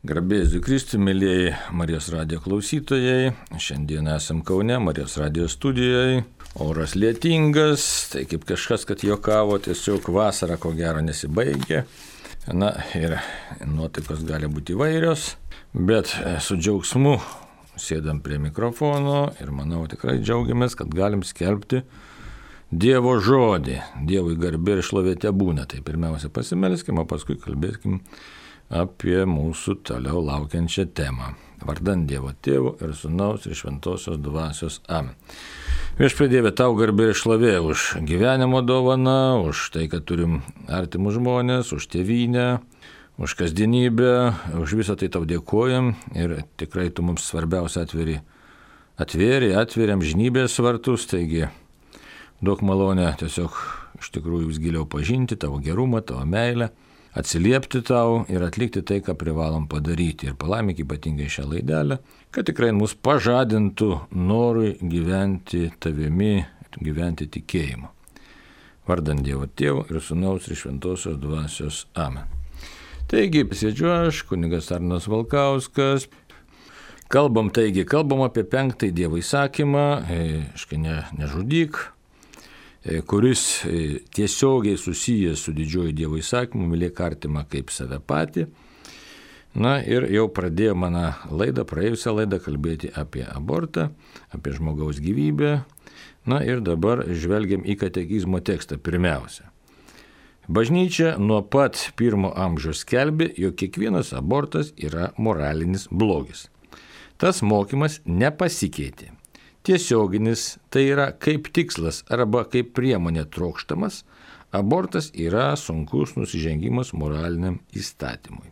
Garbės Kristui, mėlyjei Marijos radijo klausytojai. Šiandien esam Kaune, Marijos radijo studijoje. Oras lietingas, tai kaip kažkas, kad juokavo, tiesiog vasara ko gero nesibaigė. Na ir nuotaikos gali būti įvairios, bet su džiaugsmu sėdam prie mikrofono ir manau tikrai džiaugiamės, kad galim skelbti Dievo žodį. Dievui garbė ir šlovė tebūna. Tai pirmiausia pasimelskim, o paskui kalbėskim apie mūsų toliau laukiančią temą. Vardan Dievo Tėvo ir Sūnaus ir Šventosios Dvasios. Amen. Viešpatie Dieve, tau garbė ir šlovė už gyvenimo dovaną, už tai, kad turim artimus žmonės, už tėvynę, už kasdienybę, už visą tai tau dėkojam ir tikrai tu mums svarbiausia atvėrė amžinybės vartus, taigi duok malonę tiesiog iš tikrųjų vis giliau pažinti tavo gerumą, tavo meilę, atsiliepti tau ir atlikti tai, ką privalom padaryti. Ir palaimik ypatingai šią laidelę, kad tikrai mus pažadintų norui gyventi tavimi, gyventi tikėjimu. Vardan Dievo Tėvo ir Sūnaus ir Šventosios Dvasios. Amen. Taigi, sėdžiu aš, kunigas Arnas Valkauskas. Kalbam apie 5 Dievo įsakymą, nežudyk, kuris tiesiogiai susijęs su didžiuoju Dievo įsakymu, mylėk artimą kaip save patį. Na ir jau pradėjo praėjusią laidą kalbėti apie abortą, apie žmogaus gyvybę. Na ir dabar žvelgiam į katekizmo tekstą pirmiausia. Bažnyčia nuo pat 1 amžiaus skelbė, jog kiekvienas abortas yra moralinis blogis. Tas mokymas nepasikeitė. Tiesioginis, tai yra kaip tikslas arba kaip priemonė trokštamas, abortas yra sunkus nusižengimas moraliniam įstatymui.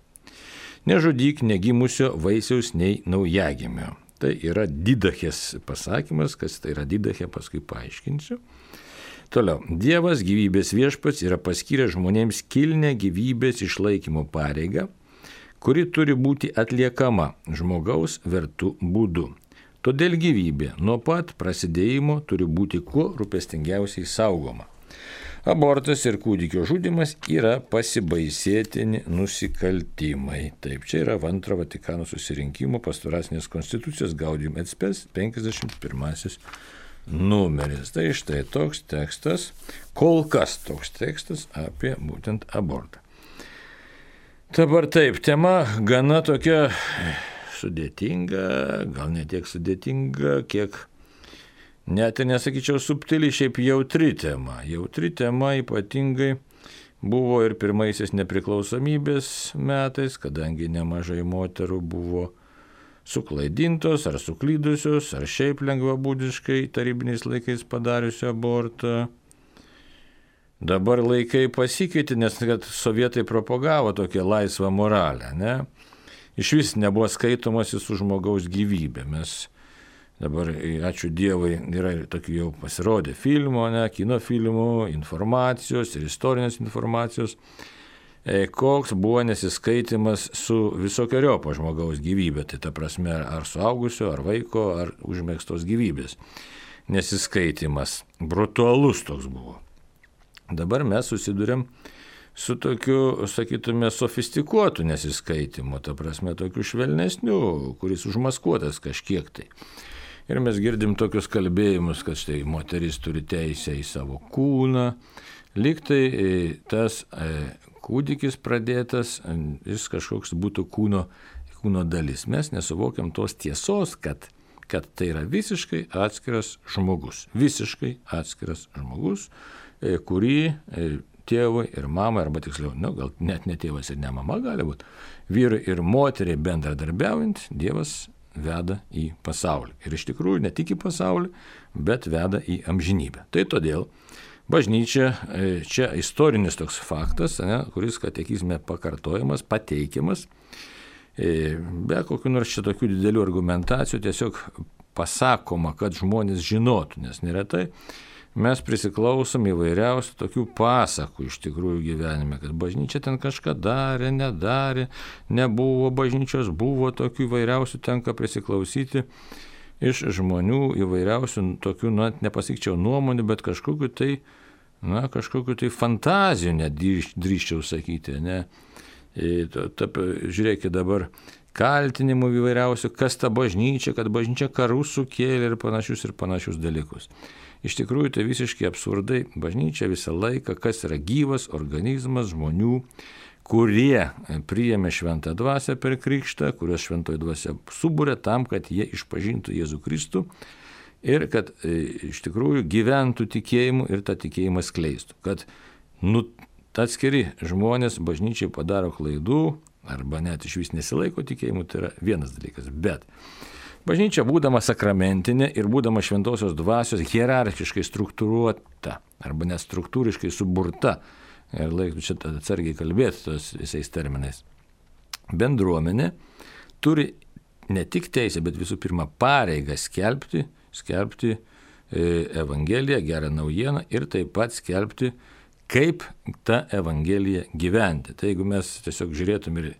Nežudyk negimusio vaisiaus nei naujagimio. Tai yra didachės pasakymas, kas tai yra didachė, paskui paaiškinsiu. Toliau, Dievas gyvybės viešpats yra paskyręs žmonėms kilnią gyvybės išlaikymo pareigą, kuri turi būti atliekama žmogaus vertų būdu. Todėl gyvybė nuo pat prasidėjimo turi būti kuo rūpestingiausiai saugoma. Abortas ir kūdikio žudymas yra pasibaisėtini nusikaltimai. Taip, čia yra Antro Vatikano susirinkimo pastoracinės konstitucijos Gaudium et Spes 51 numeris. Tai štai toks tekstas, kol kas toks tekstas apie būtent abortą. Dabar taip, tema gana tokia sudėtinga, gal ne tiek sudėtinga, kiek net ir nesakyčiau subtili, šiaip jautri tema. Jautri tema ypatingai buvo ir pirmaisiais nepriklausomybės metais, kadangi nemažai moterų buvo suklaidintos ar suklydusios, ar šiaip lengvabūdiškai tarybiniais laikais padariusio abortą. Dabar laikai pasikeitė, nes kad sovietai propagavo tokią laisvą moralę, ne? Iš vis nebuvo skaitomasi su žmogaus gyvybė. Mes dabar, ačiū Dievui, yra tokių jau pasirodė filmų, kino filmų, informacijos ir istorinės informacijos, koks buvo nesiskaitimas su visokiojopo žmogaus gyvybė. Tai ta prasme, ar suaugusio, ar vaiko, ar užmėgstos gyvybės. Nesiskaitimas. Brutalus toks buvo. Dabar mes susidurėm su tokiu, sakytume, sofistikuotu nesiskaitimu, ta prasme, tokiu švelnesniu, kuris užmaskuotas kažkiek tai. Ir mes girdim tokius kalbėjimus, kad štai moteris turi teisę į savo kūną, lyg tai tas kūdikis pradėtas, jis kažkoks būtų kūno dalis. Mes nesuvokiam tos tiesos, kad tai yra visiškai atskiras žmogus. Visiškai atskiras žmogus, kurį tėvui ir mamai, arba tiksliau, gal net ne tėvas ir ne mama gali būti, vyrai ir moteriai bendradarbiaujant, Dievas veda į pasaulį. Ir iš tikrųjų ne tik į pasaulį, bet veda į amžinybę. Tai todėl bažnyčia, čia istorinis toks faktas, kuris katekizme pakartojamas, pateikiamas, be kokių nors čia tokių didelių argumentacijų, tiesiog pasakoma, kad žmonės žinotų, nes neretai mes prisiklausom įvairiausių tokių pasakų iš tikrųjų gyvenime, kad bažnyčia ten kažką darė, nedarė, nebuvo bažnyčios, buvo tokių įvairiausių, tenka prisiklausyti iš žmonių įvairiausių tokių, nepasakyčiau nuomonių, bet kažkokiu tai fantazijų net drįsčiau sakyti, ne? Žiūrėkit dabar kaltinimų įvairiausių, kas ta bažnyčia, kad bažnyčia karus sukėlė ir panašius dalykus. Iš tikrųjų tai visiškai absurdai. Bažnyčia visą laiką, kas yra gyvas organizmas žmonių, kurie priėmė šventą dvasią per krikštą, kurios šventoji dvasia subūrė tam, kad jie išpažintų Jėzų Kristų ir kad iš tikrųjų gyventų tikėjimu ir tą tikėjimą skleistų. Kad atskiri žmonės bažnyčiai padaro klaidų arba net iš vis nesilaiko tikėjimu, tai yra vienas dalykas. Bet bažnyčia, būdama sakramentinė ir būdama šventosios dvasios hierarchiškai struktūruota arba net struktūriškai suburta, ir laikų čia atsargiai kalbėti tos visais terminais, bendruomenė turi ne tik teisę, bet visų pirma pareigą skelbti Evangeliją, gerą naujieną ir taip pat skelbti, kaip tą Evangeliją gyventi. Tai jeigu mes tiesiog žiūrėtum ir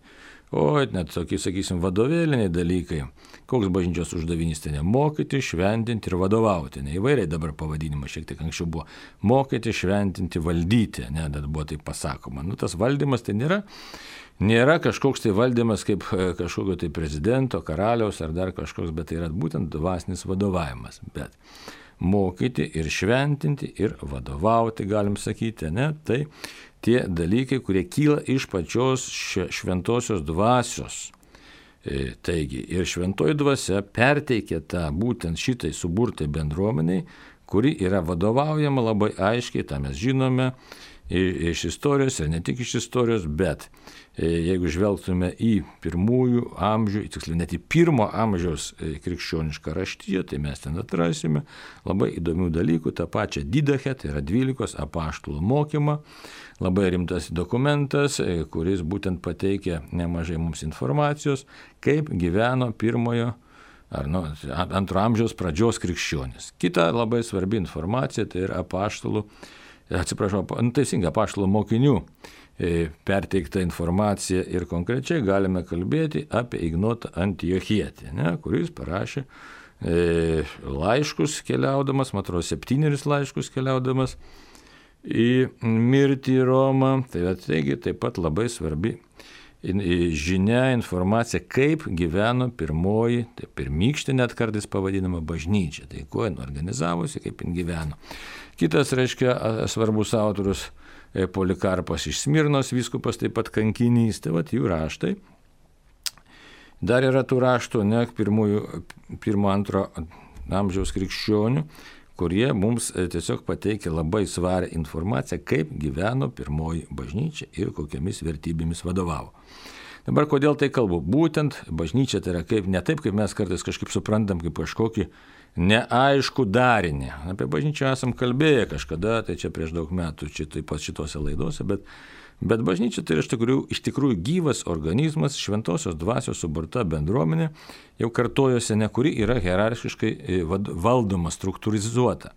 net tokie, sakysim, vadovėliniai dalykai, koks bažnyčios uždavinys tai mokyti, šventinti ir vadovauti. Įvairiai dabar pavadinimas šiek tiek anksčiau buvo mokyti, šventinti, valdyti, bet buvo taip pasakoma. Tas valdymas tai nėra kažkoks tai valdymas kaip kažkokio tai prezidento, karaliaus ar dar kažkoks, bet tai yra būtent dvasinis vadovavimas. Bet mokyti ir šventinti ir vadovauti, galim sakyti, tai tie dalykai, kurie kyla iš pačios šventosios dvasios. Taigi, ir šventoji dvasia perteikia tą būtent šitai suburtai bendruomeniai, kuri yra vadovaujama labai aiškiai, tą mes žinome iš istorijos ir ne tik iš istorijos, bet jeigu žvelgtume į pirmųjų amžių, tiksliau net į pirmo amžiaus krikščionišką raštiją, tai mes ten atrasime labai įdomių dalykų, tą pačią Didachę, tai yra 12 apaštalų mokymą, labai rimtas dokumentas, kuris būtent pateikia nemažai mums informacijos, kaip gyveno pirmojo ar antro amžiaus pradžios krikščionis. Kita labai svarbi informacija, tai yra apaštalų mokinių perteikta informacija ir konkrečiai galime kalbėti apie Ignotą Antiochietį, kuris parašė laiškus keliaudamas, man atrodo 7 laiškus keliaudamas į mirtį į Romą. Taigi taip pat labai svarbi žinia, informacija, kaip gyveno pirmoji, tai pirmykštė net kartais pavadinama bažnyčia, tai kuo jin organizavosi, kaip jin gyveno. Kitas, svarbus autorius Polikarpas iš Smirnos, vyskupas taip pat kankinys, tai jų raštai. Dar yra tų raštų, pirmo-antro amžiaus krikščionių, kurie mums tiesiog pateikia labai svarę informaciją, kaip gyveno pirmoji bažnyčia ir kokiamis vertybėmis vadovavo. Dabar kodėl tai kalbu? Būtent bažnyčia tai yra ne taip, kaip mes kartais kažkaip suprantam, kaip kažkokį neaišku darinį. Apie bažnyčią esam kalbėję kažkada, tai čia prieš daug metų, čia taip pat šitose laidose, bet bažnyčia tai yra iš tikrųjų gyvas organizmas, šventosios dvasios suburta bendruomenė, jau kartojosi, kuri yra hierarchiškai valdoma, struktūrizuota.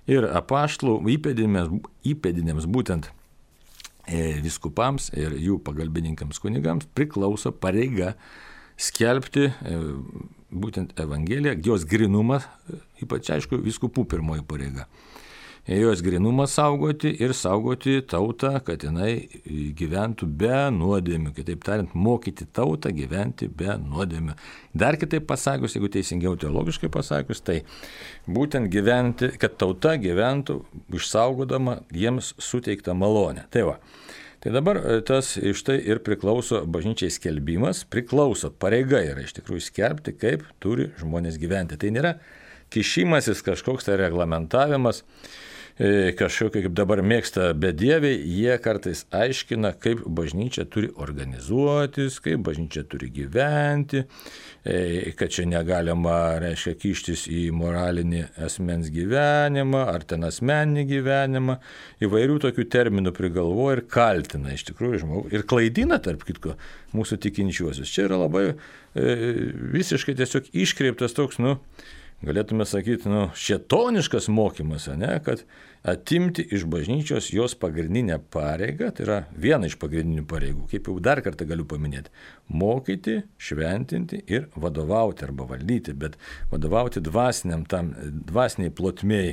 Ir apaštalų įpėdiniams būtent vyskupams ir jų pagalbininkams kunigams priklauso pareiga skelbti būtent Evangeliją, jos grinumą, ypač aišku, vyskupų pirmoji pareiga. Jos grinumą saugoti ir saugoti tautą, kad jinai gyventų be nuodėmių. Kitaip tariant, mokyti tautą gyventi be nuodėmių. Dar kitaip pasakius, jeigu teisingiau teologiškai pasakius, tai būtent gyventi, kad tauta gyventų išsaugodama jiems suteiktą malonę. Tai dabar tas iš tai ir priklauso bažnyčiai skelbimas, pareiga yra iš tikrųjų skelbti, kaip turi žmonės gyventi. Tai nėra kišimasis kažkoks tai reglamentavimas, kažkokie, kaip dabar mėgsta bedieviai, jie kartais aiškina, kaip bažnyčia turi organizuotis, kaip bažnyčia turi gyventi, kad čia negalima, kištis į moralinį asmens gyvenimą, ar ten asmeninį gyvenimą, įvairių tokių terminų prigalvoja ir kaltina iš tikrųjų žmogų ir klaidina, tarp kitko, mūsų tikinčiuosius. Čia yra labai visiškai tiesiog iškreiptas toks, galėtume sakyti, šėtoniškas mokymas, kad atimti iš bažnyčios jos pagrindinę pareigą, tai yra viena iš pagrindinių pareigų, kaip jau dar kartą galiu paminėti, mokyti, šventinti ir vadovauti arba valdyti, bet vadovauti dvasiniai plotmėjai.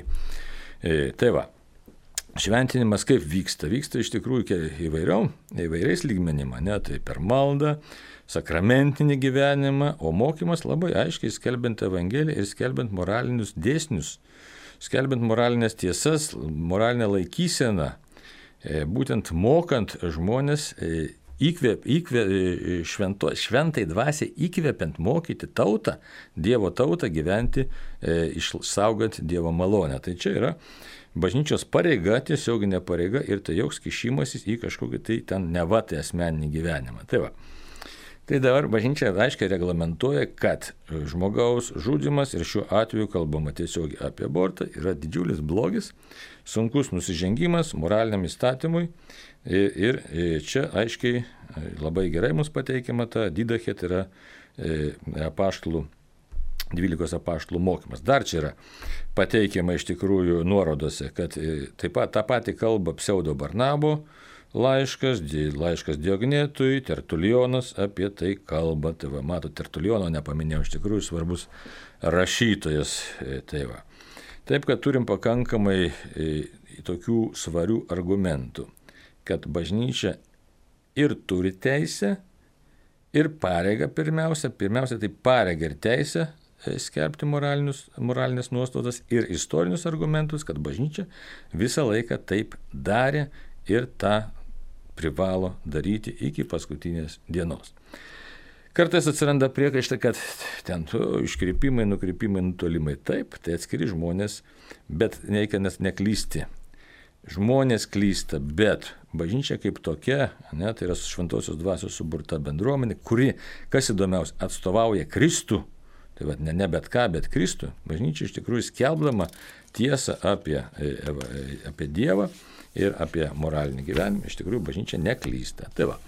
šventinimas kaip vyksta? Vyksta iš tikrųjų įvairiais lygmenim, ne? Tai per maldą, sakramentinį gyvenimą, o mokymas labai aiškiai skelbiant Evangeliją ir skelbiant moralinius dėsnius, skelbiant moralinės tiesas, moralinę laikyseną, būtent mokant žmonės šventai dvasiai įkvepiant mokyti tautą, Dievo tautą gyventi, išsaugant Dievo malonę. Tai čia yra bažnyčios pareiga, tiesioginė pareiga ir tai joks kišimasis į kažkokį tai ten nevatai asmeninį gyvenimą. Tai va. Tai dabar bažnyčia aiškiai reglamentuoja, kad žmogaus žudymas, ir šiuo atveju kalbama tiesiogiai apie abortą, yra didžiulis blogis, sunkus nusižengimas moraliniam įstatymui. Ir čia aiškiai labai gerai mums pateikiama ta didachė, tai yra 12 apaštalų mokymas. Dar čia yra pateikiama iš tikrųjų nuorodose, kad taip pat tą patį kalba pseudo Barnabo laiškas Diognetui, Tertulionas apie tai kalba. Tai va, mato, Tertuliono nepaminėjau, iš tikrųjų svarbus rašytojas. Tai va. Taip, kad turim pakankamai tokių svarių argumentų, kad bažnyčia ir turi teisę, ir pareigą pirmiausia tai pareigą ir teisę skelbti moralinės nuostatas ir istorinius argumentus, kad bažnyčia visą laiką taip darė ir tą privalo daryti iki paskutinės dienos. Kartais atsiranda priekaištai, kad ten iškrypimai, nukrypimai, nutolimai. Taip, tai atskiri žmonės, bet nereikia neklysti. Žmonės klysta, bet bažnyčia kaip tokia, tai yra šventosios dvasios suburta bendruomenė, kuri, kas įdomiausia, atstovauja Kristų, tai va, ne bet ką, bet Kristų. Bažnyčia iš tikrųjų skelbdama tiesą apie Dievą ir apie moralinį gyvenimą, iš tikrųjų bažnyčia neklysta. Tai va.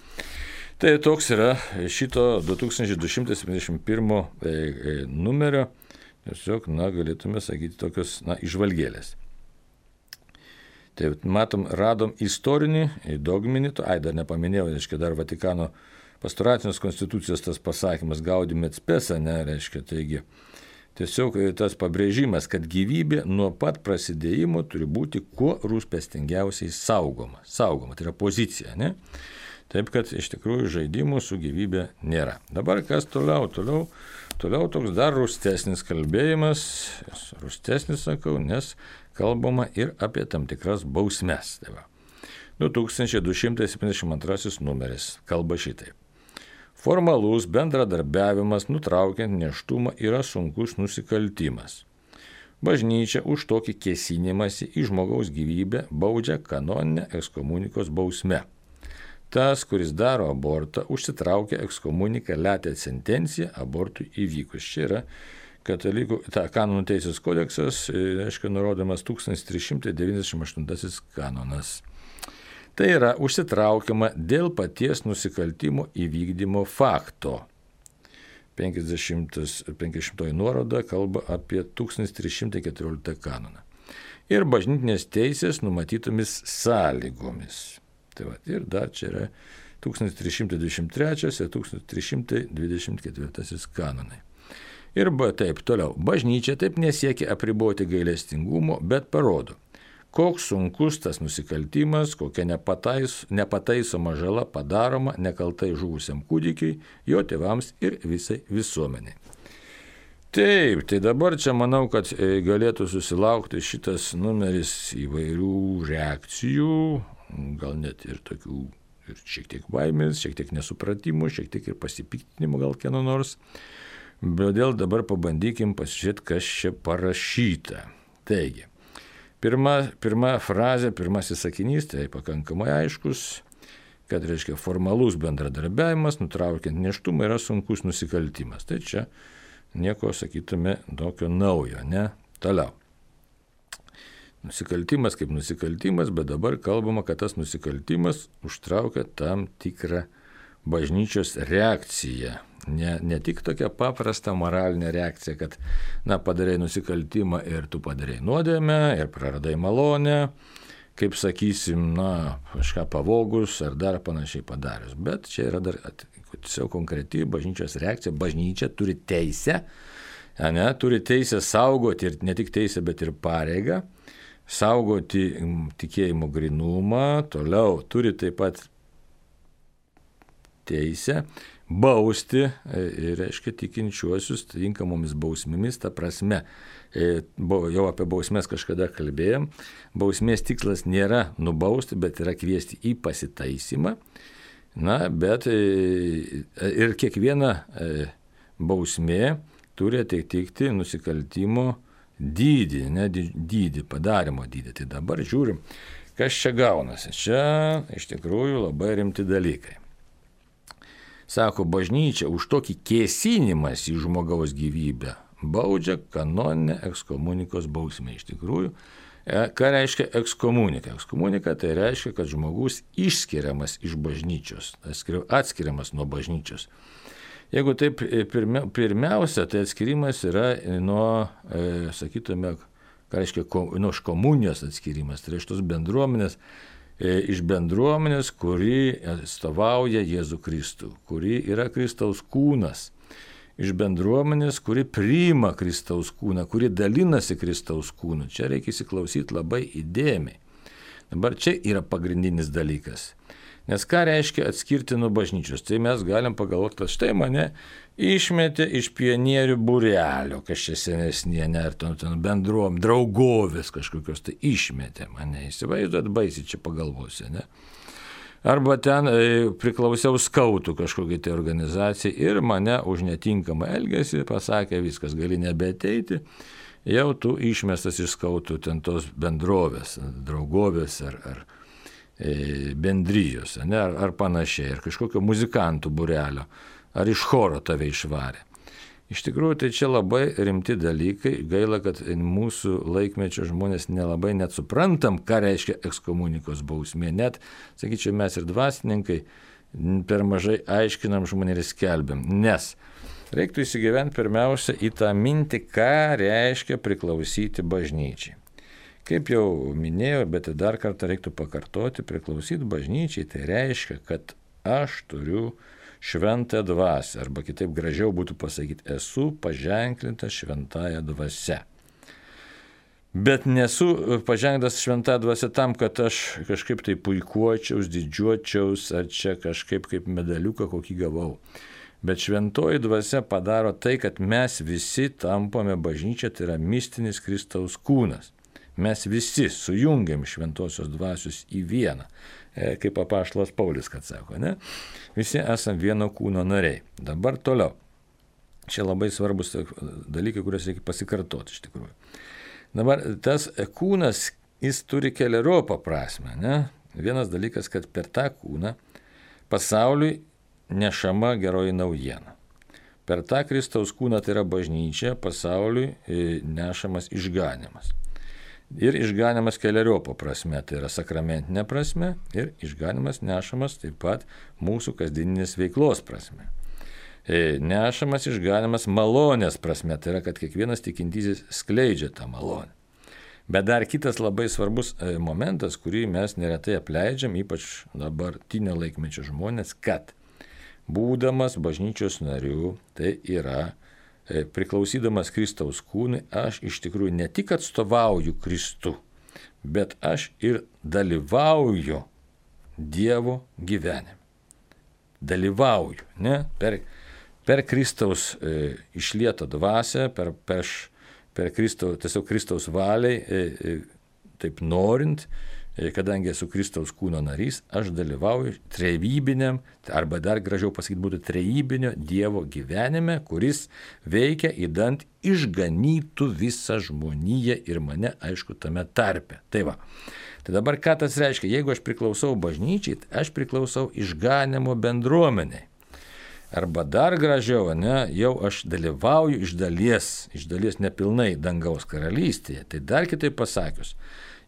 Tai toks yra šito 2271 numerio, tiesiog, galėtume sakyti, tokios, išvalgėlės. Tai matom, radom istorinį, dogminį, dar nepaminėjau, reiškia, dar Vatikano pastoracinės konstitucijos tas pasakymas Gaudium et spes, reiškia, taigi, tiesiog tas pabrėžimas, kad gyvybė nuo pat prasidėjimo turi būti kuo rūpestingiausiai saugoma. Saugoma, tai yra pozicija, ne? Taip, kad iš tikrųjų žaidimų su gyvybė nėra. Dabar kas toliau? Toliau toks dar rūstesnis kalbėjimas, rūstesnis sakau, nes kalbama ir apie tam tikras bausmes. Tai va. 2272 numeris kalba šitaip. Formalus bendradarbiavimas nutraukiant nėštumą yra sunkus nusikaltimas. Bažnyčia už tokį kėsinimąsi į žmogaus gyvybę baudžia kanoninę ekskomunikos bausme. Tas, kuris daro abortą, užsitraukia ekskomunikaliatę sentenciją abortui įvykus. Čia yra katalikų, kanonų teisės kodeksas, reiškia, nurodomas 1398 kanonas. Tai yra užsitraukiama dėl paties nusikaltimo įvykdymo fakto. 50 nuoroda kalba apie 1314 kanoną. Ir bažnytinės teisės numatytomis sąlygomis. Tai va, ir dar čia yra 1323 ir 1324 kanonai. Ir taip toliau. Bažnyčia taip nesiekia apriboti gailestingumo, bet parodo, koks sunkus tas nusikaltimas, kokia nepataisoma žala padaroma nekaltai žuvusiam kūdikiai, jo tėvams ir visai visuomeniai. Taip, tai dabar čia manau, kad galėtų susilaukti šitas numeris įvairių reakcijų, gal net ir tokių, ir šiek tiek baimės, šiek tiek nesupratimų, šiek tiek ir pasipiktinimų gal kieno nors. Todėl dabar pabandykim pasižiūrėti, kas čia parašyta. Taigi, pirma frazė, pirmasis sakinys, tai pakankamai aiškus, kad reiškia formalus bendradarbiavimas, nutraukiant nėštumą, yra sunkus nusikaltimas. Tai čia nieko, sakytume, tokio naujo, ne? Toliau. Nusikaltimas kaip nusikaltimas, bet dabar kalbama, kad tas nusikaltimas užtraukia tam tikrą bažnyčios reakciją. Ne tik tokia paprasta moralinė reakcija, kad, padarai nusikaltimą ir tu padarai nuodėmę ir praradai malonę, kaip sakysim, kažką pavogus ar dar panašiai padarius. Bet čia yra dar tiesiog konkreti bažnyčios reakcija. Bažnyčia turi teisę saugoti ir ne tik teisę, bet ir pareigą saugoti tikėjimo grinumą, toliau turi taip pat teisę bausti, reiškia tikinčiuosius tinkamomis bausmėmis, ta prasme, jau apie bausmės kažkada kalbėjom, bausmės tikslas nėra nubausti, bet yra kviesti į pasitaisymą, bet ir kiekviena bausmė turi atitikti nusikaltimo dydį, dydį, padarimo dydį. Tai dabar žiūrim, kas čia gaunasi. Čia iš tikrųjų labai rimti dalykai. Sako, bažnyčia už tokį kėsinimas į žmogaus gyvybę baudžia kanoninę ekskomunikos bausmę. Iš tikrųjų, ką reiškia ekskomunika? Ekskomunika tai reiškia, kad žmogus išskiriamas iš bažnyčios, atskiriamas nuo bažnyčios. Jeigu taip pirmiausia, tai atskirimas yra nuo, sakytume, ką reiškia, nuo komunijos atskirimas, tai iš tos bendruomenės, iš bendruomenės, kuri atstovauja Jėzų Kristų, kuri yra Kristaus kūnas, iš bendruomenės, kuri priima Kristaus kūną, kuri dalinasi Kristaus kūnu. Čia reikia įsiklausyti labai įdėmiai. Dabar čia yra pagrindinis dalykas. Nes ką reiškia atskirti nuo bažnyčios? Tai mes galim pagalvoti, kad štai mane išmetė iš pionierių būrelio, kas čia senesnė, ar ten bendruom, draugovės kažkokios, tai išmetė mane, įsivaizduot, baisiai čia pagalvosiu, ne? Arba ten priklausiau skautų kažkokiai tai organizacijai ir mane už netinkamą elgesį pasakė, viskas, gali nebeateiti, jau tu išmestas iš skautų ten tos bendrovės, draugovės ar bendrijos, ne, ar panašiai, ar kažkokio muzikantų būrelio, ar iš choro tave išvarė. Iš tikrųjų, tai čia labai rimti dalykai, gaila, kad mūsų laikmečio žmonės nelabai net suprantam, ką reiškia ekskomunikos bausmė, net, sakyčiau, mes ir dvasininkai per mažai aiškinam žmonėm ir skelbiam, nes reiktų įsigyventi pirmiausia į tą mintį, ką reiškia priklausyti bažnyčiai. Kaip jau minėjau, bet dar kartą reiktų pakartoti, priklausyti bažnyčiai, tai reiškia, kad aš turiu šventąją dvasią, arba kitaip gražiau būtų pasakyti, esu paženklintas šventąją dvasią. Bet nesu paženklintas šventąją dvasią tam, kad aš kažkaip tai puikuočiaus, didžiuočiaus, ar čia kažkaip kaip medaliuką kokį gavau. Bet šventoji dvasia padaro tai, kad mes visi tampame bažnyčia, tai yra mistinis Kristaus kūnas. Mes visi sujungiam šventosios dvasios į vieną, kaip apaštalas Paulius, kad sako, ne? Visi esam vieno kūno nariai. Dabar toliau. Čia labai svarbus dalykai, kuriuos reikia pasikartoti iš tikrųjų. Dabar tas kūnas, jis turi keliariopą prasmę, ne? Vienas dalykas, kad per tą kūną pasauliui nešama geroji naujiena. Per tą Kristaus kūną, tai yra bažnyčia, pasauliui nešamas išganimas. Ir išganimas keliariopo prasme, tai yra sakramentinė prasme, ir išganimas nešamas taip pat mūsų kasdieninės veiklos prasme. Nešamas išganimas malonės prasme, tai yra, kad kiekvienas tikintysis skleidžia tą malonę. Bet dar kitas labai svarbus momentas, kurį mes neretai apleidžiam, ypač dabartinio laikmečio žmonės, kad būdamas bažnyčios nariu, tai yra priklausydamas Kristaus kūnui, aš iš tikrųjų ne tik atstovauju Kristų, bet aš ir dalyvauju Dievo gyvenime. Dalyvauju, ne? Per Kristaus išlietą dvasią, per Kristaus valiai, taip norint, kadangi esu Kristaus kūno narys, aš dalyvauju trejybiniam, arba dar gražiau pasakyti būtų trejybinio Dievo gyvenime, kuris veikia įdant išganytų visą žmoniją ir mane, aišku, tame tarpe. Tai va. Tai dabar ką tas reiškia? Jeigu aš priklausau bažnyčiai, aš priklausau išganimo bendruomeniai. Arba dar gražiau, ne, jau aš dalyvauju iš dalies nepilnai dangaus karalystėje. Tai dar kitaip pasakius,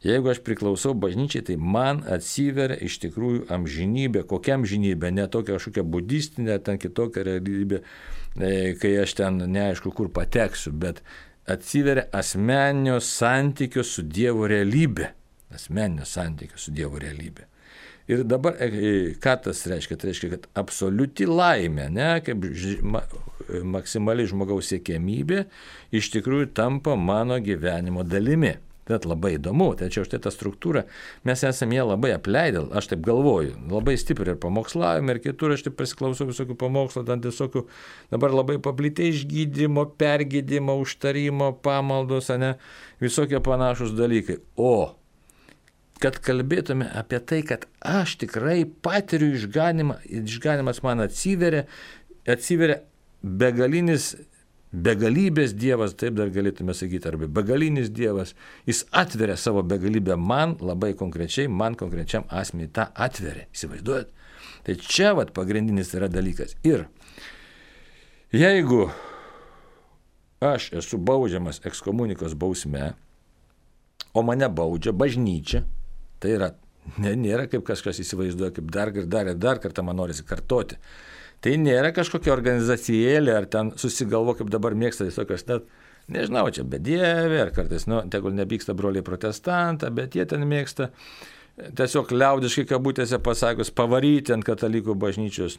jeigu aš priklausau bažnyčiai, tai man atsiveria iš tikrųjų amžinybė. Kokia amžinybė? Ne tokia kažkokia budistinė, ten kitokia realybė, kai aš ten neaišku kur pateksiu, bet atsiveria asmeninio santykio su Dievo realybė. Asmeninio santykio su Dievo realybė. Ir dabar, ką tas reiškia? Tai reiškia, kad absoliuti laimė, ne, kaip maksimali žmogaus siekiamybė, iš tikrųjų tampa mano gyvenimo dalimi. Bet labai įdomu, tačiau štai tą struktūrą mes esame ją labai apleidę, aš taip galvoju, labai stipriai ir pamokslavime, ir kitur aš taip pasiklausau visokių pamokslų, ten visokių dabar labai paplitę išgydymo, pergydymo, užtarimo, pamaldos, ne, visokie panašus dalykai. O kad kalbėtume apie tai, kad aš tikrai patiriu išganimą, išganimas man atsiveria begalybės Dievas, taip dar galėtume sakyti, arba begalinis Dievas, jis atveria savo begalybę man, labai konkrečiai, man konkrečiam asmeniui tą atveria, įsivaizduojat? Tai čia pagrindinis yra dalykas. Ir jeigu aš esu baudžiamas ekskomunikos bausme, o mane baudžia bažnyčia, tai yra, nėra kaip kažkas įsivaizduoja, kaip dar kartą man norisi kartoti. Tai nėra kažkokia organizacijėlė, ar ten susigalvo, kaip dabar mėgsta visokios, nežinau, čia bedievė, ar kartais, tegul nepyksta broliai protestantą, bet jie ten mėgsta tiesiog liaudiškai kabutėse pasakius pavaryti ant katalikų bažnyčios.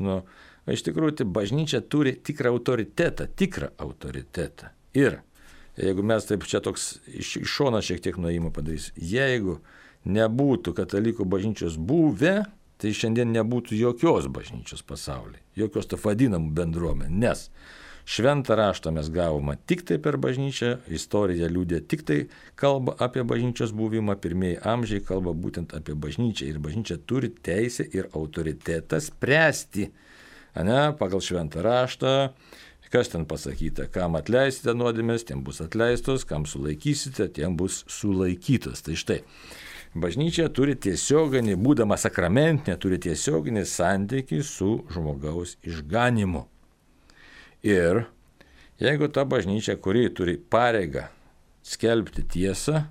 Iš tikrųjų, tai bažnyčia turi tikrą autoritetą. Ir jeigu mes taip čia toks iš šono šiek tiek nuėjimo padarys, jeigu nebūtų katalikų bažnyčios buvę, tai šiandien nebūtų jokios bažnyčios pasaulyje, jokios to vadinamų bendruomenė, nes šventą raštą mes gavome tik tai per bažnyčią, istorija liudė tik tai kalba apie bažnyčios buvimą, pirmieji amžiai kalba būtent apie bažnyčią ir bažnyčia turi teisę ir autoritetą spręsti, pagal šventą raštą, kas ten pasakyta, kam atleisite nuodėmės, tiem bus atleistos, kam sulaikysite, tiem bus sulaikytos. Tai štai. Bažnyčia turi tiesioginį, būdama sakramentinė, turi tiesioginį santykį su žmogaus išganimu. Ir jeigu ta bažnyčia, kuri turi pareigą skelbti tiesą,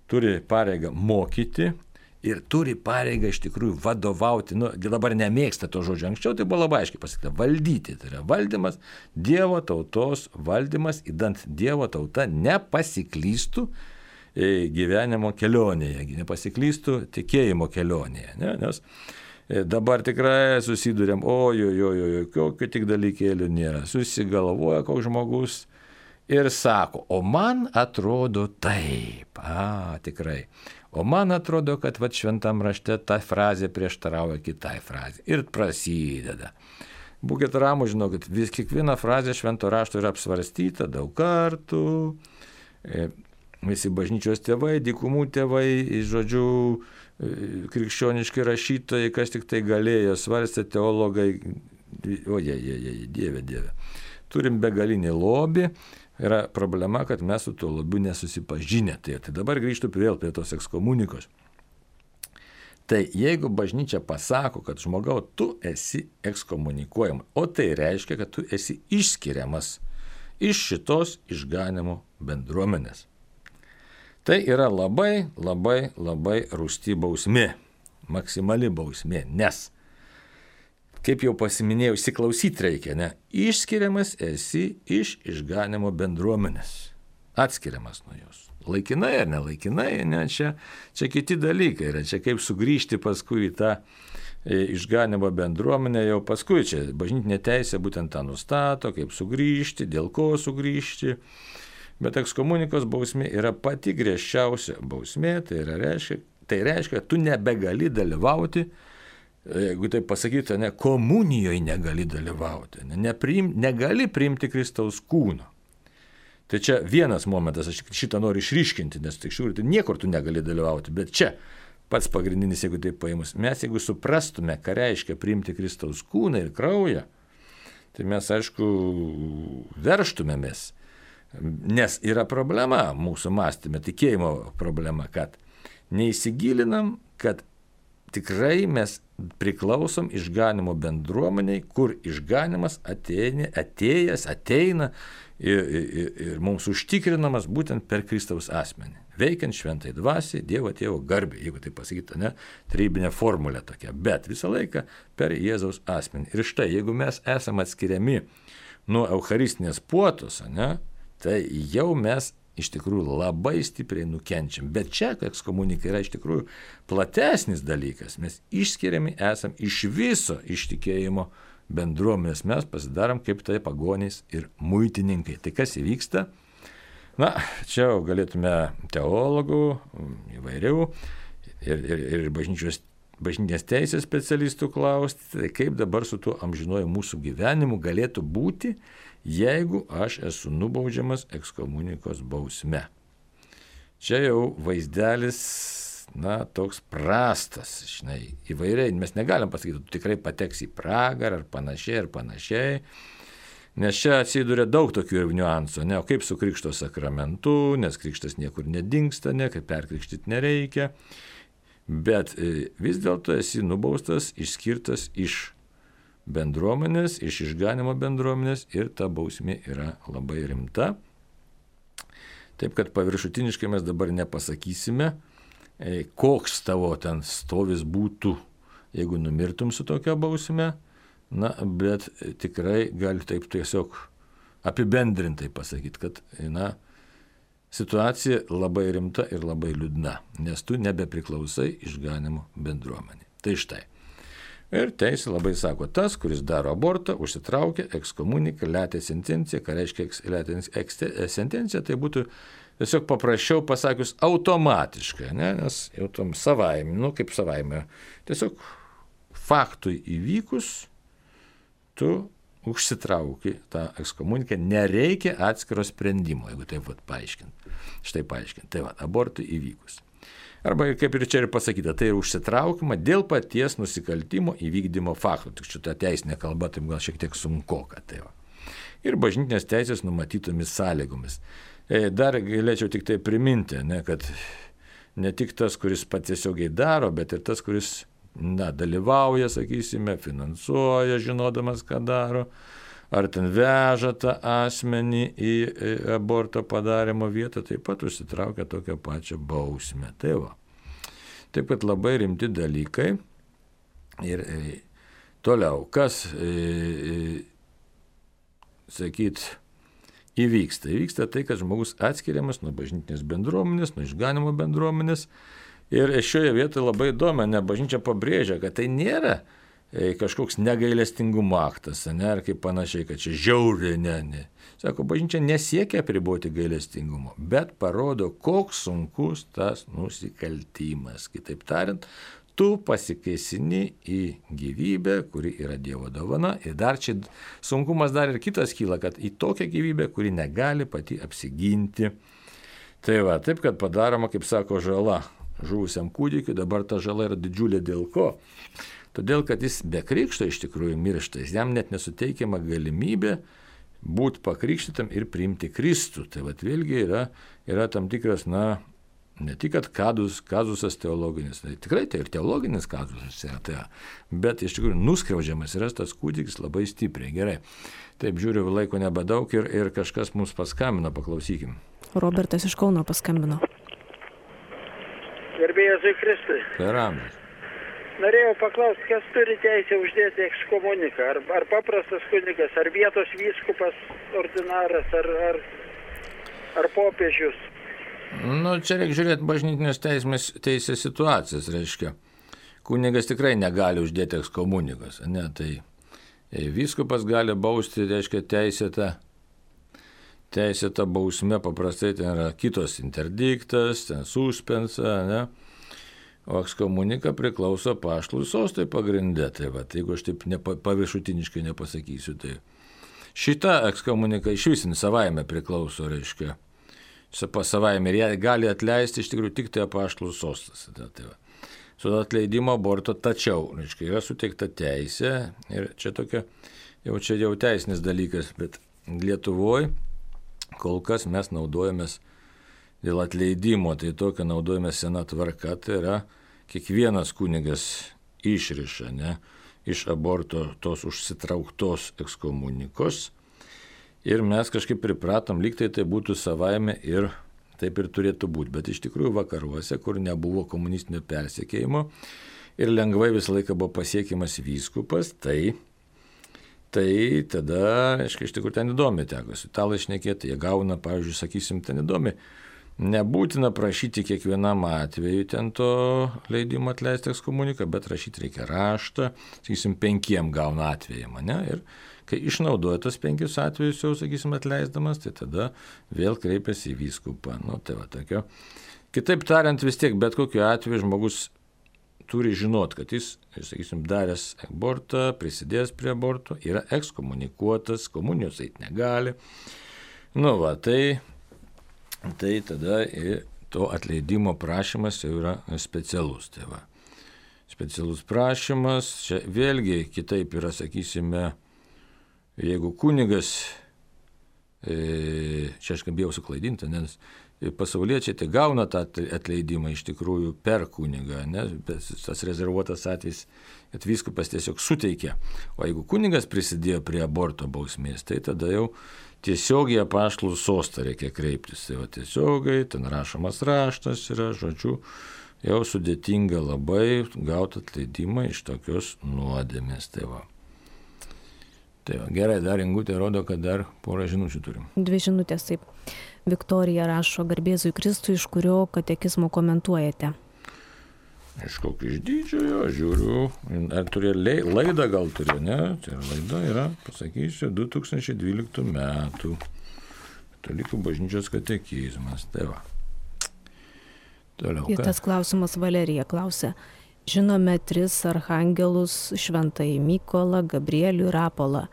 turi pareigą mokyti ir turi pareigą iš tikrųjų vadovauti, dabar nemėgsta to žodžio, anksčiau tai buvo labai aiškiai pasakyta, valdyti, tai yra valdymas, Dievo tautos valdymas, idant Dievo tauta nepasiklystų gyvenimo kelionėje, nepasiklystų tikėjimo kelionėje, nes dabar tikrai susidurėm, kokių tik dalykėlių nėra, susigalvoja koks žmogus ir sako, o man atrodo taip, tikrai, o man atrodo, kad šventam rašte ta frazė prieštarauja kitai frazė ir prasideda. Būkit ramūs, žinokit, kiekviena frazė švento rašto yra apsvarstyta daug kartų. Visi bažnyčios tėvai, dykumų tėvai, žodžiu, krikščioniški rašytojai, kas tik tai galėjo, svarstė teologai, Dieve. Turim begalinį lobį, yra problema, kad mes su tuo lobiu nesusipažinę. Tai dabar grįžtu vėl prie tos ekskomunikos. Tai jeigu bažnyčia pasako, kad žmogau, tu esi ekskomunikuojamas, o tai reiškia, kad tu esi išskiriamas iš šitos išganimo bendruomenės. Tai yra labai rūsti bausmė, maksimali bausmė, nes, kaip jau pasiminėjau, įsiklausyti reikia, išskiriamas esi iš išganimo bendruomenės, atskiriamas nuo jos. Laikinai ar nelaikinai, čia kiti dalykai yra, čia kaip sugrįžti paskui į tą išganimo bendruomenę, jau paskui čia bažnytinė teisė būtent tą nustato, kaip sugrįžti, dėl ko sugrįžti. Bet ekskomunikos bausmė yra pati griežčiausia bausmė, tai reiškia, kad tu nebegali dalyvauti, jeigu taip pasakyti, komunijoje negali dalyvauti, negali priimti Kristaus kūno. Tai čia vienas momentas, aš šitą noriu išryškinti, nes tik šiūrį, tai niekur tu negali dalyvauti, bet čia pats pagrindinis, jeigu taip paėmus, mes jeigu suprastume, ką reiškia priimti Kristaus kūną ir kraują, tai mes, aišku, verštumėmės. Nes yra problema mūsų mąstyme, tikėjimo problema, kad neįsigilinam, kad tikrai mes priklausom išganimo bendruomeniai, kur išganimas ateina ir mums užtikrinamas būtent per Kristaus asmenį. Veikiant šventai dvasiai, Dievo Tėvo garbė, jeigu tai pasakyta, trybinė formulė tokia, bet visą laiką per Jėzaus asmenį. Ir štai, jeigu mes esame atskiriami nuo eucharistinės puotos, tai jau mes iš tikrųjų labai stipriai nukenčiam. Bet čia ekskomunika yra iš tikrųjų platesnis dalykas. Mes išskiriami esam iš viso iš tikėjimo bendruomenės. Mes pasidarom kaip tai pagonys ir muitininkai. Tai kas įvyksta? Na, čia galėtume teologų įvairių ir bažnytinės teisės specialistų klausti, tai kaip dabar su tuo amžinuoju mūsų gyvenimu galėtų būti, jeigu aš esu nubaudžiamas ekskomunikos bausme. Čia jau vaizdelis, toks prastas, įvairiai, mes negalim pasakyti, tu tikrai pateksi į pragarą ar panašiai. Nes čia atsiduria daug tokių niuansų, o kaip su krikšto sakramentu, nes krikštas niekur nedingsta, kaip perkrikštyti nereikia, bet vis dėlto esi nubaustas, išskirtas iš bendruomenės, iš išganimo bendruomenės ir ta bausmė yra labai rimta. Taip, kad paviršutiniškai mes dabar nepasakysime, koks tavo ten stovis būtų, jeigu numirtum su tokia bausme. Bet tikrai gali taip tiesiog apibendrintai pasakyti, kad situacija labai rimta ir labai liūdna, nes tu nebepriklausai išganimo bendruomenė. Tai štai. Ir teisė labai sako, tas, kuris daro abortą, užsitraukia ekskomuniką, letę sentenciją, ką reiškia letę sentencija, tai būtų tiesiog paprasčiau pasakius automatiškai, nes jau tom savaime, kaip savaime, tiesiog faktui įvykus, tu užsitrauki tą ekskomuniką, nereikia atskiro sprendimo, jeigu taip paaiškinti. Štai paaiškinti. Tai abortui įvykus. Arba kaip ir čia ir pasakyta, tai užsitraukima dėl paties nusikaltimo įvykdymo fakto. Tik šitą teisinę kalbą taip gal šiek tiek sunkoka. Ir bažnytinės teisės numatytomis sąlygomis. Dar galėčiau tik tai priminti, kad ne tik tas, kuris pats tiesiogiai daro, bet ir tas, kuris dalyvauja, sakysime, finansuoja, žinodamas, ką daro, ar ten veža tą asmenį į aborto padarimo vietą, taip pat užsitraukia tokią pačią bausmę. Taip pat labai rimti dalykai. Ir toliau, kas, įvyksta? Įvyksta tai, kad žmogus atskiriamas nuo bažnytinės bendruomenės, nuo išganimo bendruomenės. Ir šioje vietoje labai įdomu, bažnyčia pabrėžia, kad tai nėra kažkoks negailestingumo aktas, ar kaip panašiai, kad čia žiauriai, ne. Sako, bažnyčia nesiekia apriboti gailestingumo, bet parodo, koks sunkus tas nusikaltimas. Kitaip tariant, tu pasikeisini į gyvybę, kuri yra Dievo dovana, ir dar čia sunkumas dar ir kitas kyla, kad į tokią gyvybę, kuri negali pati apsiginti. Taip, kad padaroma, kaip sako, žala žuvusiam kūdikiui, dabar ta žala yra didžiulė dėl ko? Todėl, kad jis be krikšto iš tikrųjų miršta, jam net nesuteikiama galimybė būti pakrikštytam ir priimti Kristų. Tai vėlgi yra tam tikras, ne tik kad kazusas teologinis, tai tikrai tai ir teologinis kazusas yra, bet iš tikrųjų nuskriaudžiamas yra tas kūdikis labai stipriai. Gerai. Taip, žiūriu, laiko nebedaug ir kažkas mums paskambino, paklausykim. Robertas iš Kauno paskambino. Garbėjai Jėzui Kristui. Per amžius. Norėjau paklausti, kas turi teisę uždėti ekskomuniką? Ar paprastas kunigas, ar vietos vyskupas, ordinaras, ar popiežius? Čia reikia žiūrėti bažnytinės teisės situacijas, reiškia. Kunigas tikrai negali uždėti ekskomunikos, tai vyskupas gali bausti, reiškia, teisėta bausmė, paprastai ten yra kitos interdiktas, ten suspensa, o ekskomunika priklauso apaštalų sostui pagrinde. Jeigu aš taip paviršutiniškai nepasakysiu, tai šita ekskomunika iš visin savaime priklauso, reiškia, savaime ir ją gali atleisti iš tikrųjų tik tai apaštalų sostas. Su atleidimo aborto, tačiau, reiškia, yra suteikta teisė ir čia tokia, jau teisinis dalykas, bet Lietuvoje kol kas mes naudojamės dėl atleidimo, tai tokia naudojame sena tvarka, tai yra kiekvienas kunigas išriša, iš aborto tos užsitrauktos ekskomunikos ir mes kažkaip pripratom, lyg tai būtų savaime ir taip ir turėtų būti, bet iš tikrųjų vakaruose, kur nebuvo komunistinio persekiojimo ir lengvai visą laiką buvo pasiekiamas vyskupas, tai tada, reiškia, iš tikrųjų ten įdomi teko su italai šnekėti, jie gauna, pavyzdžiui, sakysim, ten įdomi, nebūtina prašyti kiekvienam atveju ten to leidimo atleisti ekskomuniką, bet rašyti reikia raštą, sakysim, 5 gauna atvejam, ir Kai išnaudoja tas 5 atvejus jau, sakysim, atleisdamas, tai tada vėl kreipiasi į vyskupą. Nu, tai va, tokio. Kitaip tariant, vis tiek bet kokiu atveju žmogus turi žinot, kad jis, sakysim, daręs abortą, prisidėjęs prie aborto, yra ekskomunikuotas, komunijos eiti negali. Nu va, tai tada to atleidimo prašymas jau yra specialus. Tai va. Specialus prašymas, čia vėlgi kitaip yra, sakysime, jeigu kunigas, čia aš bijau suklaidinti, nes pasauliečiai tai gauna tą atleidimą iš tikrųjų per kunigą, ne? Tas rezervuotas atvejis, kad vyskupas tiesiog suteikia. O jeigu kunigas prisidėjo prie aborto bausmės, tai tada jau tiesiogiai apaštalų sostą reikia kreiptis. Tai va tiesiogiai, ten rašomas raštas yra, žodžiu, jau sudėtinga labai gauti atleidimą iš tokios nuodėmės. Tai va, gerai, dar Ingutė rodo, kad dar porą žinučių turim. 2 žinutės, taip. Viktorija rašo: garbėzui Kristui, iš kurio katekizmo komentuojate? Iš kokio iš didžiojo, žiūriu, ar turėjo laidą, gal turėjo, ne? Tai laida yra, pasakysiu, 2012 metų. Katalikų bažnyčios katekizmas. Tai va. Toliau. Ir tas klausimas Valerija klausia. Žinome 3 archangelus: Šventąjį Mykolą, Gabrielių ir Rapolą.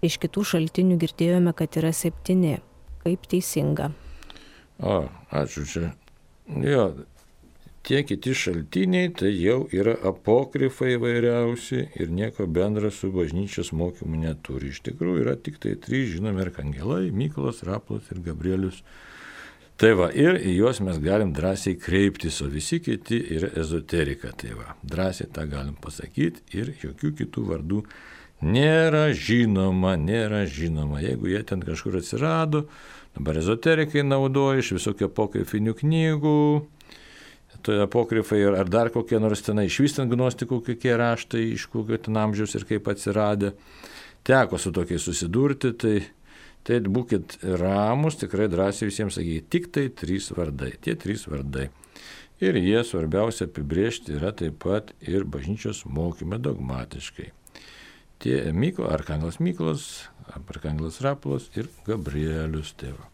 Iš kitų šaltinių girdėjome, kad yra 7. Kaip teisinga? Ačiū čia. Jo, tie kiti šaltiniai tai jau yra apokrifai įvairiausi ir nieko bendra su bažnyčios mokymu neturi. Iš tikrųjų yra tik tai 3 žinomi arkangelai: Mykolas, Rapolas ir Gabrielius. Tai va, ir į juos mes galim drąsiai kreiptis, o visi kiti yra ezoterika. Tai va, drąsiai tą galim pasakyti ir jokių kitų vardų nėra žinoma. Jeigu jie ten kažkur atsirado, dabar ezoterikai naudoja iš visokių apokrifinių knygų, tai apokrifai ar dar kokie nors tenai išvystant gnostikų kokie raštai, iš kokio ten amžiaus ir kaip atsiradę. Teko su tokiais susidurti, tai būkit ramus, tikrai drąsiai visiems sakyti, tik tai 3 vardai, tie 3 vardai. Ir jie svarbiausia apibrėžti yra taip pat ir bažnyčios mokyme dogmatiškai. Tie arkangelas Mykolas, arkangelas Rapolas ir Gabrielius. Tėva.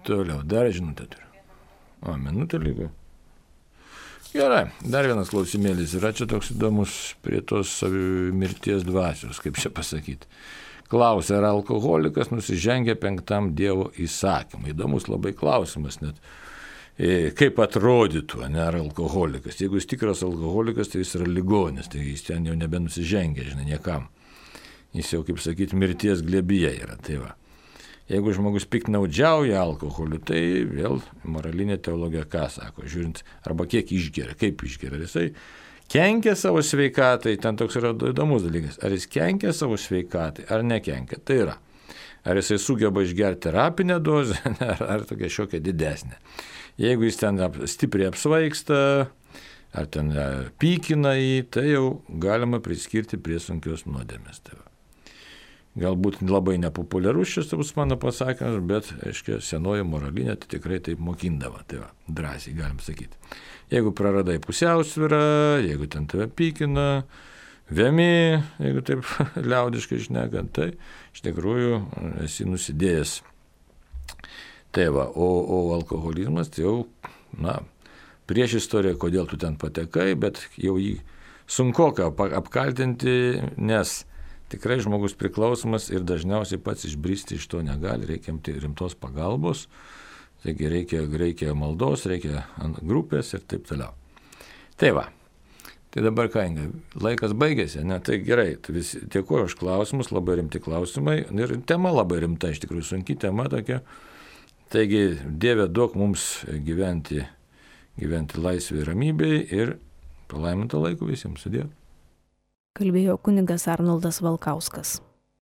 Toliau, dar žinutę turiu. Minutė lygo. Gerai, dar vienas klausimėlis yra čia toks įdomus prie tos mirties dvasios, kaip čia pasakyti. Klausia, ar alkoholikas nusižengia 5 Dievo įsakymui. Įdomus labai klausimas net. Kaip atrodytų, ne, ar alkoholikas. Jeigu jis tikras alkoholikas, tai jis yra ligonis, tai jis ten jau nebenusižengia, žinai, niekam. Jis jau, kaip sakyti, mirties glėbyje yra. Tai va. Jeigu žmogus piktnaudžiauja alkoholiu, tai vėl moralinė teologija ką sako, žiūrint, arba kiek išgeria, kaip išgeria. Jisai kenkia savo sveikatai, ten toks yra įdomus dalykas. Ar jis kenkia savo sveikatai, ar nekenkia, tai yra. Ar jisai sugeba išgerti terapinę dozę, ar tokia šiokia didesnė. Jeigu jis ten stipriai apsvaigsta, ar ten pykina jį, tai jau galima priskirti prie sunkios nuodėmės. Tai galbūt labai nepopuliarus šis mano pasakymas, bet, aiškiai, senoji moralinė tai tikrai taip mokindavo. Tai va, drąsiai galim sakyti. Jeigu praradai pusiausvyrą, jeigu ten tave pykina, vėmi, jeigu taip liaudiškai šnekant, tai iš tikrųjų esi nusidėjęs. Tai va, o alkoholizmas tai jau, prieš istoriją, kodėl tu ten patekai, bet jau jį sunkoka apkaltinti, nes tikrai žmogus priklausomas ir dažniausiai pats išbristi iš to negali, reikia rimtos pagalbos, taigi reikia maldos, reikia grupės ir taip toliau. Tai va, tai dabar ką, laikas baigėsi, ne, tai gerai, dėkuoju už klausimus, labai rimti klausimai ir tema labai rimta, iš tikrųjų sunki tema tokia. Taigi, Dieve, duok mums gyventi laisvėje ir ramybėje ir palaimintą laiką visiems. Sudie. Kalbėjo kunigas Arnoldas Valkauskas.